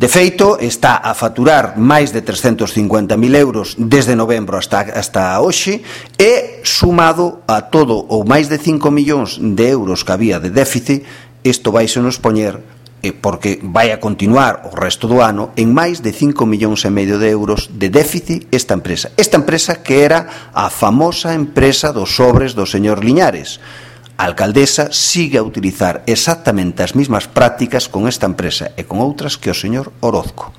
De feito, está a faturar máis de 350.000 euros desde novembro hasta hoxe, e sumado a todo o máis de 5 millóns de euros que había de déficit, isto vaise nos poñer, porque vai a continuar o resto do ano, en máis de 5,5 millóns de euros de déficit esta empresa. Esta empresa que era a famosa empresa dos sobres do señor Liñares. A alcaldesa sigue a utilizar exactamente as mesmas prácticas con esta empresa e con outras que o señor Orozco.